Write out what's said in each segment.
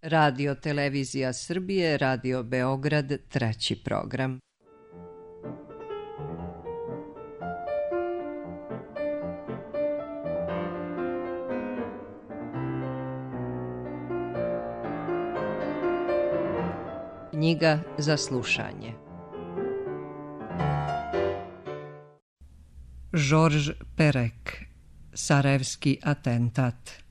Radio Televizija Srbije, Radio Beograd, treći program. Knjiga za slušanje. Žorž Perek, Sarajevski atentat.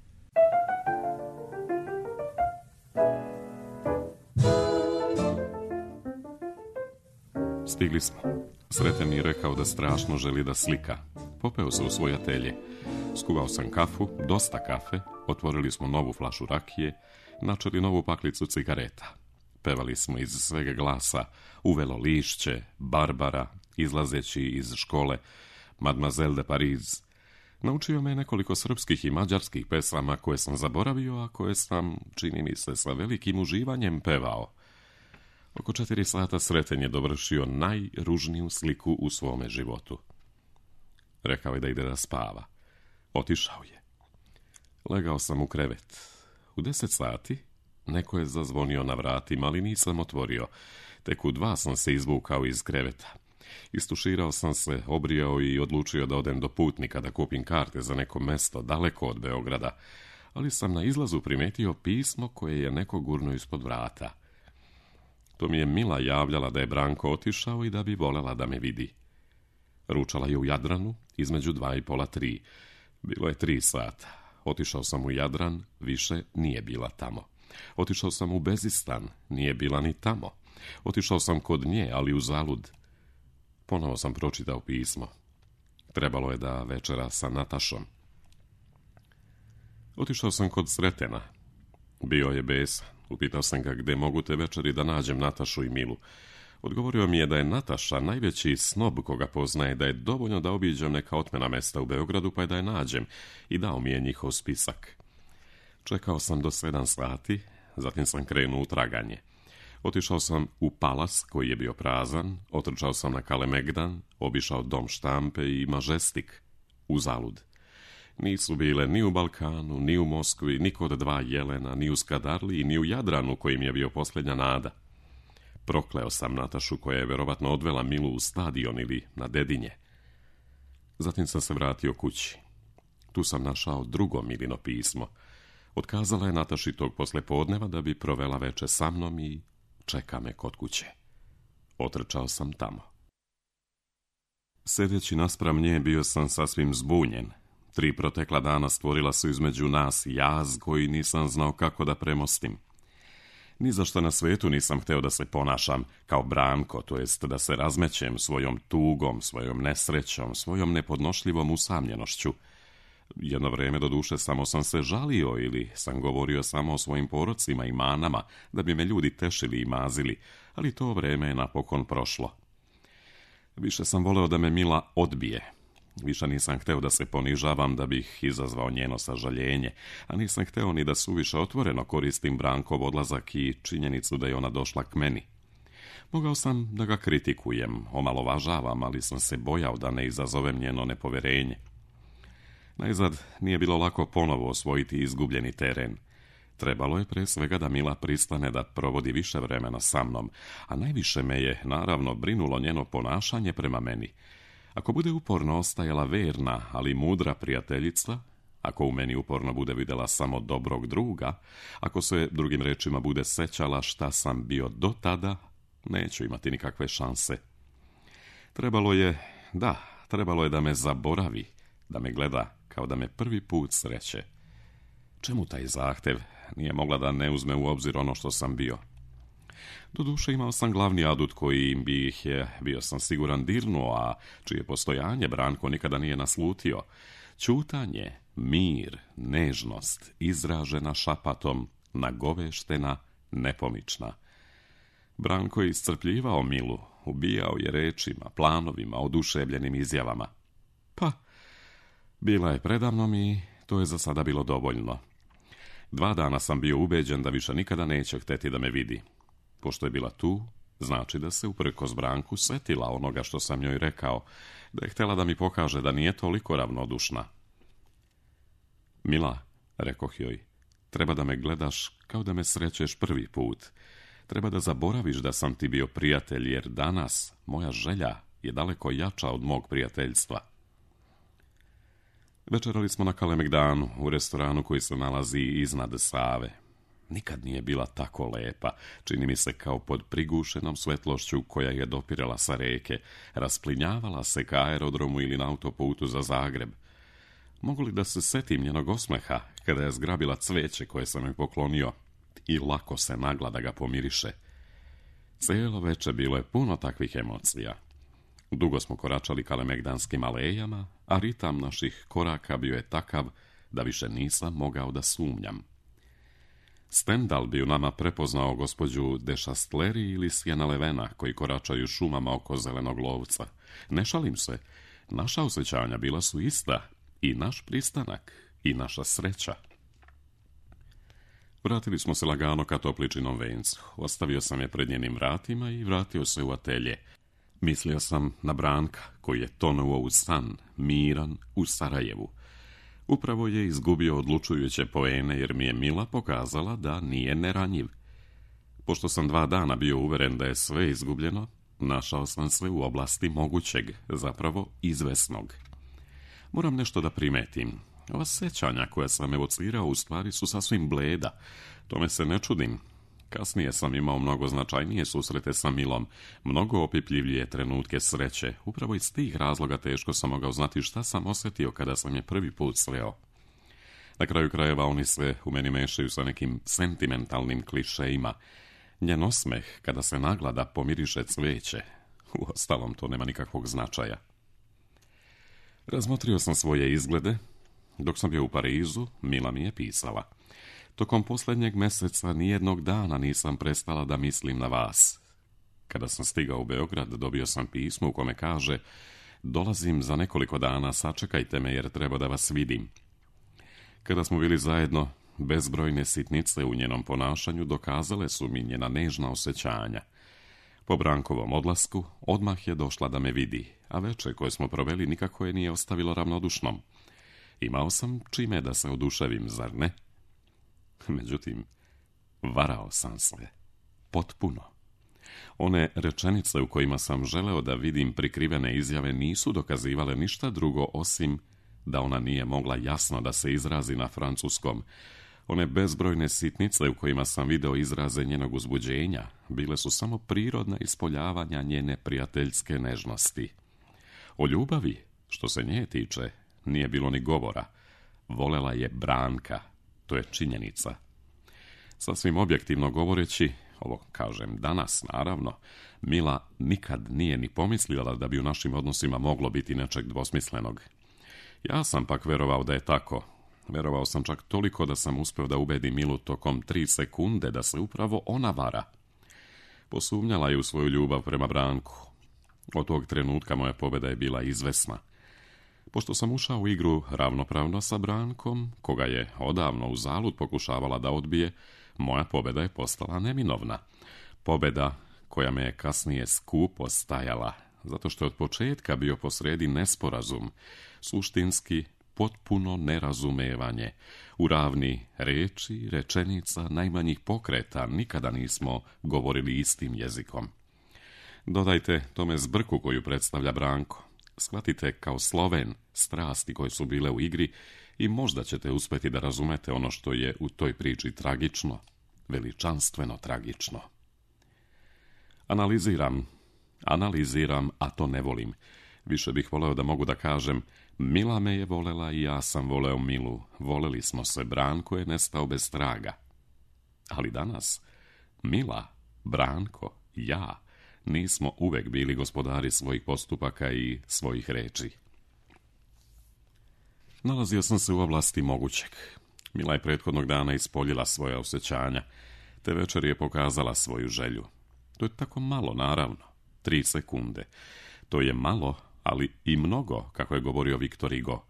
Stigli smo. Sreten mi je rekao da strašno želi da slika. Popeo se u svoj atelje. Skuvao sam kafu, dosta kafe, otvorili smo novu flašu rakije, načeli novu paklicu cigareta. Pevali smo iz svega glasa Uvelo lišće, Barbara, izlazeći iz škole, Mademoiselle de Paris. Naučio me nekoliko srpskih i mađarskih pesama koje sam zaboravio, a koje sam, čini mi se, sa velikim uživanjem pevao. Oko 4 sata Sreten je dovršio najružniju sliku u svome životu. Rekao je da ide da spava. Otišao je. Legao sam u krevet. U 10 sati neko je zazvonio na vratima, ali nisam otvorio. Tek u 2 sam se izvukao iz kreveta. Istuširao sam se, obrijao i odlučio da odem do Putnika da kupim karte za neko mesto daleko od Beograda, ali sam na izlazu primetio pismo koje je neko gurnuo ispod vrata. To mi je Mila javljala da je Branko otišao i da bi volela da me vidi. Ručala je u Jadranu između 2 i pola 3. Bilo je 3 sata. Otišao sam u Jadran, više nije bila tamo. Otišao sam u Bezistan, nije bila ni tamo. Otišao sam kod nje, ali uzalud. Ponovo sam pročitao pismo. Trebalo je da večera sa Natašom. Otišao sam kod Sretena. Bio je besan. Upitao sam ga gde mogu te večeri da nađem Natašu i Milu. Odgovorio mi je da je Nataša najveći snob koga poznaje, da je dovoljno da obiđem neka otmena mesta u Beogradu pa je da je nađem, i dao mi je njihov spisak. Čekao sam do 7 sati, zatim sam krenuo u traganje. Otišao sam u Palas koji je bio prazan, otrčao sam na Kalemegdan, obišao Dom štampe i Mažestik. Uzalud. Nisu bile ni u Balkanu, ni u Moskvi, ni kod 2 jelena, ni u Skadarliji, ni u Jadranu kojim je bio posljednja nada. Prokleo sam Natašu koja je verovatno odvela Milu u stadion ili na Dedinje. Zatim sam se vratio kući. Tu sam našao drugo Milino pismo. Otkazala je Nataši tog poslepodneva da bi provela veče sa mnom i čeka me kod kuće. Otrčao sam tamo. Sedeći naspram nje bio sam sasvim zbunjen. 3 protekla dana stvorila su između nas jaz koji nisam znao kako da premostim. Ni za šta na svetu nisam hteo da se ponašam kao Branko, to jest da se razmećem svojom tugom, svojom nesrećom, svojom nepodnošljivom usamljenošću. Jedno vreme do duše samo sam se žalio ili sam govorio samo o svojim porocima i manama da bi me ljudi tešili i mazili, ali to vreme je napokon prošlo. Više sam voleo da me Mila odbije. Više nisam hteo da se ponižavam da bih izazvao njeno sažaljenje, a nisam hteo ni da suviše otvoreno koristim Brankov odlazak i činjenicu da je ona došla k meni. Mogao sam da ga kritikujem, omalovažavam, ali sam se bojao da ne izazovem njeno nepoverenje. Najzad nije bilo lako ponovo osvojiti izgubljeni teren. Trebalo je pre svega da Mila pristane da provodi više vremena sa mnom, a najviše me je, naravno, brinulo njeno ponašanje prema meni. Ako bude uporno ostajala verna, ali mudra prijateljica, ako u meni uporno bude videla samo dobrog druga, ako se, drugim rečima, bude sećala šta sam bio do tada, neću imati nikakve šanse. Trebalo je da me zaboravi, da me gleda kao da me prvi put sreće. Čemu taj zahtev? Nije mogla da ne uzme u obzir ono što sam bio. Doduše imao sam glavni adut koji bi ih je, bio sam siguran, dirnuo, a čije postojanje Branko nikada nije naslutio. Ćutanje, mir, nežnost, izražena šapatom, nagoveštena, nepomična. Branko je iscrpljivao Milu, ubijao je rečima, planovima, oduševljenim izjavama. Pa, bila je predamnom i to je za sada bilo dovoljno. 2 dana sam bio ubeđen da više nikada neće hteti da me vidi. Pošto je bila tu, znači da se uprkos Branku setila onoga što sam njoj rekao, da je htjela da mi pokaže da nije toliko ravnodušna. Mila, rekoh joj, Treba da me gledaš kao da me srećeš prvi put. Treba da zaboraviš da sam ti bio prijatelj, jer danas moja želja je daleko jača od mog prijateljstva. Večerali smo na Kalemegdanu, u restoranu koji se nalazi iznad Save. Nikad nije bila tako lepa, čini mi se kao pod prigušenom svetlošću koja je dopirala sa reke, rasplinjavala se ka aerodromu ili na autoputu za Zagreb. Mogu li da se setim njenog osmeha kada je zgrabila cveće koje sam joj poklonio i lako se nagla da ga pomiriše? Cijelo veče bilo je puno takvih emocija. Dugo smo koračali kalemegdanskim alejama, a ritam naših koraka bio je takav da više nisam mogao da sumnjam. Stendhal bi u nama prepoznao gospođu de Chastleri ili Sjena Levena koji koračaju šumama oko zelenog lovca. Ne šalim se, naša osjećanja bila su ista, i naš pristanak, i naša sreća. Vratili smo se lagano ka Topličinom vencu. Ostavio sam je pred njenim vratima i vratio se u atelje. Mislio sam na Branka, koji je tonuo u san, miran, u Sarajevu. Upravo je izgubio odlučujuće poene jer mi je Mila pokazala da nije neranjiv. Pošto sam 2 dana bio uveren da je sve izgubljeno, našao sam se u oblasti mogućeg, zapravo izvesnog. Moram nešto da primetim. Ova sećanja koja sam evocirao u stvari su sasvim bleda. Tome se ne čudim. Kasnije sam imao mnogo značajnije susrete sa Milom, mnogo opipljivije trenutke sreće. Upravo iz tih razloga teško sam mogao znati šta sam osjetio kada sam je prvi put sreo. Na kraju krajeva oni se u meni mešaju sa nekim sentimentalnim klišejima. Njen osmeh kada se naglada pomiriše cveće. Uostalom, to nema nikakvog značaja. Razmotrio sam svoje izglede. Dok sam bio u Parizu, Mila mi je pisala. Tokom posljednjeg mjeseca nijednog dana nisam prestala da mislim na vas. Kada sam stigao u Beograd, dobio sam pismo u kome kaže: dolazim za nekoliko dana, sačekajte me jer treba da vas vidim. Kada smo bili zajedno, bezbrojne sitnice u njenom ponašanju dokazale su mi njena nežna osjećanja. Po Brankovom odlasku odmah je došla da me vidi, a večer koje smo proveli nikako je nije ostavilo ravnodušnom. Imao sam čime da se oduševim, zar ne? Međutim, varao sam se. Potpuno. One rečenice u kojima sam želeo da vidim prikrivene izjave nisu dokazivale ništa drugo osim da ona nije mogla jasno da se izrazi na francuskom. One bezbrojne sitnice u kojima sam video izraze njenog uzbuđenja bile su samo prirodna ispoljavanja njene prijateljske nežnosti. O ljubavi, što se nje tiče, nije bilo ni govora. Volela je Branka, to je činjenica. Sasvim objektivno govoreći, ovo kažem danas naravno, Mila nikad nije ni pomislila da bi u našim odnosima moglo biti nečeg dvosmislenog. Ja sam pak verovao da je tako. Verovao sam čak toliko da sam uspio da ubedim Milu tokom 3 sekunde da se upravo ona vara. Posumnjala je u svoju ljubav prema Branku. Od tog trenutka moja pobjeda je bila izvesna. Pošto sam ušao u igru ravnopravno sa Brankom, koga je odavno uzalud pokušavala da odbije, moja pobjeda je postala neminovna. Pobjeda koja me je kasnije skupo stajala, zato što je od početka bio posredi nesporazum, suštinski potpuno nerazumevanje. U ravni reči, rečenica, najmanjih pokreta nikada nismo govorili istim jezikom. Dodajte tome zbrku koju predstavlja Branko. Shvatite kao Sloven strasti koje su bile u igri i možda ćete uspjeti da razumete ono što je u toj priči tragično, veličanstveno tragično. Analiziram, a to ne volim. Više bih voleo da mogu da kažem: Mila me je volela i ja sam voleo Milu. Voleli smo se, Branko je nestao bez traga. Ali danas, Mila, Branko, ja, nismo uvek bili gospodari svojih postupaka i svojih reči. Nalazio sam se u oblasti mogućeg. Mila je prethodnog dana ispoljila svoja osjećanja, te večer je pokazala svoju želju. To je tako malo, naravno. 3 sekunde. To je malo, ali i mnogo, kako je govorio Viktor Hugo.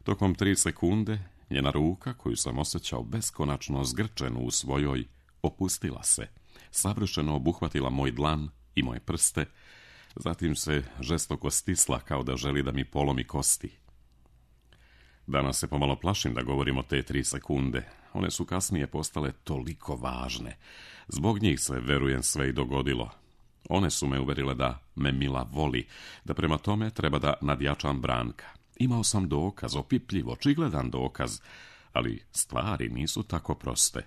Tokom 3 sekunde, njena ruka, koju sam osjećao beskonačno zgrčenu u svojoj, opustila se. Savršeno obuhvatila moj dlan i moje prste, zatim se žestoko stisla kao da želi da mi polomi kosti. Danas se pomalo plašim da govorim o te 3 sekunde. one su kasnije postale toliko važne. Zbog njih se, verujem, sve i dogodilo. One su me uverile da me Mila voli, da prema tome treba da nadjačam Branka. Imao sam dokaz, opipljiv, očigledan dokaz, ali stvari nisu tako proste.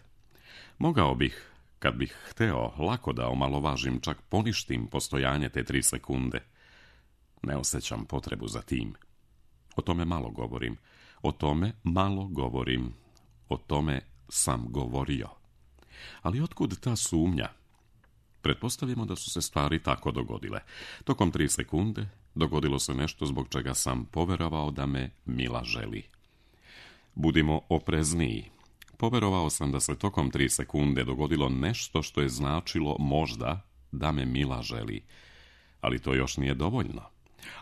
Mogao bih, kad bih hteo, lako da omalovažim, čak poništim postojanje te 3 sekunde. Ne osjećam potrebu za tim. O tome malo govorim. O tome sam govorio. Ali otkud ta sumnja? Pretpostavimo da su se stvari tako dogodile. Tokom 3 sekunde dogodilo se nešto zbog čega sam poverovao da me Mila želi. Budimo oprezniji. Poverovao sam da se tokom 3 sekunde dogodilo nešto što je značilo možda da me Mila želi. Ali to još nije dovoljno.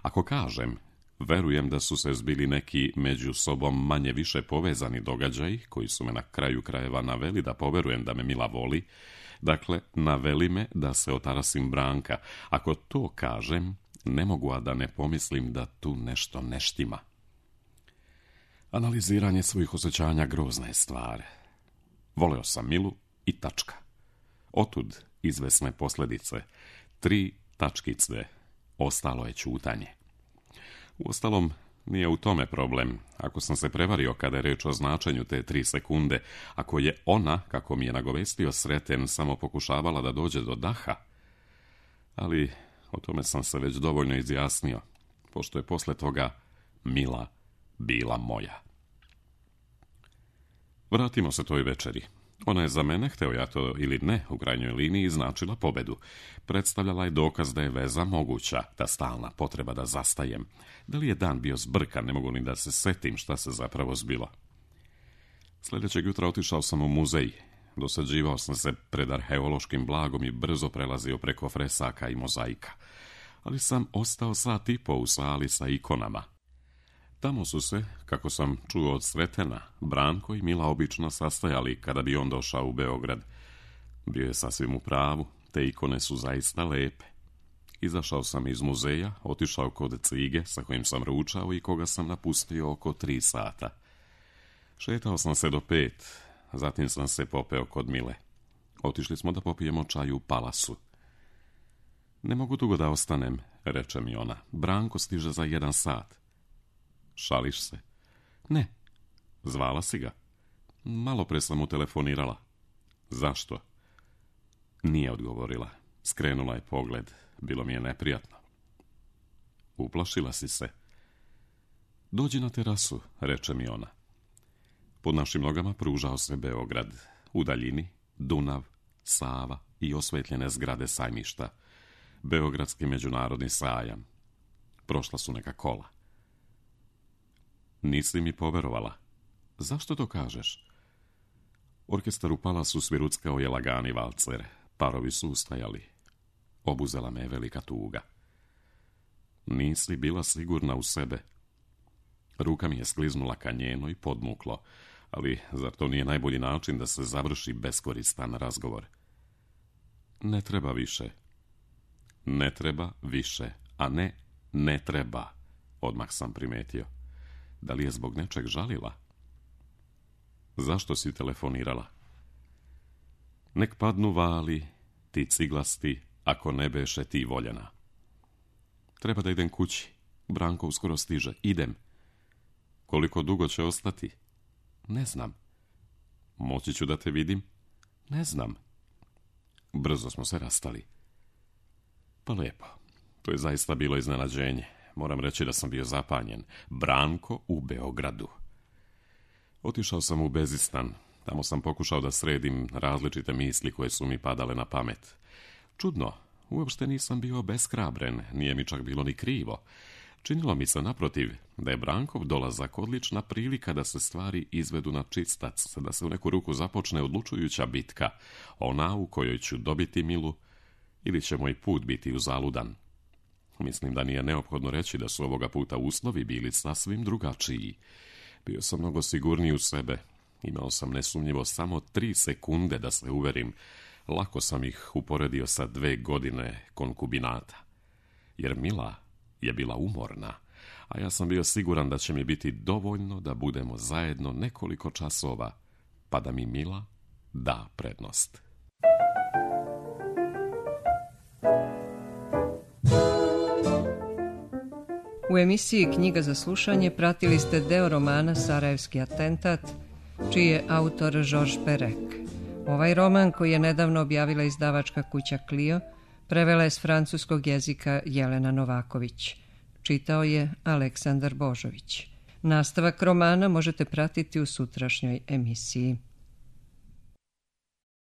Ako kažem, verujem da su se zbili neki među sobom manje više povezani događaji, koji su me na kraju krajeva naveli da poverujem da me Mila voli, dakle, naveli me da se otarasim Branka. Ako to kažem, ne mogu a da ne pomislim da tu nešto ne štima. Analiziranje svojih osjećanja grozna je stvar. Voleo sam Milu i tačka. Otud izvesne posljedice. 3 tačkice. Ostalo je ćutanje. Uostalom, nije u tome problem. Ako sam se prevario kada je reč o značenju te 3 sekunde, ako je ona, kako mi je nagovestio Sreten, samo pokušavala da dođe do daha, ali o tome sam se već dovoljno izjasnio, pošto je posle toga Mila bila moja. Vratimo se toj večeri. Ona je za mene, hteo ja to ili ne, u krajnjoj liniji značila pobedu. Predstavljala je dokaz da je veza moguća, ta stalna potreba da zastajem. Da li je dan bio zbrkan, ne mogu ni da se setim šta se zapravo zbilo. Sljedećeg jutra otišao sam u muzej. Dosađivao sam se pred arheološkim blagom i brzo prelazio preko fresaka i mozaika. Ali sam ostao 1,5 sata u sali sa ikonama. Tamo su se, kako sam čuo od Sretena, Branko i Mila obično sastajali kada bi on došao u Beograd. Bio je sasvim u pravu, te ikone su zaista lepe. Izašao sam iz muzeja, otišao kod Cige sa kojim sam ručao i koga sam napustio oko 3 sata. Šetao sam se do 5, zatim sam se popeo kod Mile. Otišli smo da popijemo čaj u Palasu. Ne mogu dugo da ostanem, reče mi ona. Branko stiže za 1 sat. Šališ se? Ne. Zvala si ga? Malo pre sam mu telefonirala. Zašto? Nije odgovorila. Skrenula je pogled. Bilo mi je neprijatno. Uplašila si se? Dođi na terasu, reče mi ona. Pod našim nogama pružao se Beograd. U daljini Dunav, Sava i osvetljene zgrade sajmišta. Beogradski međunarodni sajam. Prošla su neka kola. Nisi mi poverovala. Zašto to kažeš? Orkestar u Palasu sviruckao je lagani valcer. Parovi su ustajali. Obuzela me je velika tuga. Nisi bila sigurna u sebe. Ruka mi je skliznula ka njenoj podmuklo, ali zar to nije najbolji način da se završi beskoristan razgovor? Ne treba više. Ne treba više, a ne treba, odmah sam primetio. Da li je zbog nečeg žalila? Zašto si telefonirala? Nek padnu vali, ti ciglasti, ako ne beše ti voljena. Treba da idem kući. Branko uskoro stiže. Idem. Koliko dugo će ostati? Ne znam. Moći ću da te vidim? Ne znam. Brzo smo se rastali. Pa lepo. To je zaista bilo iznenađenje. Moram reći da sam bio zapanjen. Branko u Beogradu. Otišao sam u Bezistan. Tamo sam pokušao da sredim različite misli koje su mi padale na pamet. Čudno, uopšte nisam bio beshrabren, nije mi čak bilo ni krivo. Činilo mi se, naprotiv, da je Brankov dolazak odlična prilika da se stvari izvedu na čistac, da se u neku ruku započne odlučujuća bitka, ona u kojoj ću dobiti Milu ili će moj put biti uzaludan. Mislim da nije neophodno reći da su ovoga puta uslovi bili sasvim drugačiji. Bio sam mnogo sigurniji u sebe. Imao sam nesumnjivo samo 3 sekunde da se uverim. Lako sam ih uporedio sa 2 godine konkubinata. Jer Mila je bila umorna, a ja sam bio siguran da će mi biti dovoljno da budemo zajedno nekoliko časova pa da mi Mila da prednost. U emisiji Knjiga za slušanje pratili ste deo romana Sarajevski atentat, čiji je autor Georges Perec. Ovaj roman, koji je nedavno objavila izdavačka kuća Clio, prevela je s francuskog jezika Jelena Novaković. Čitao je Aleksandar Božović. Nastavak romana možete pratiti u sutrašnjoj emisiji.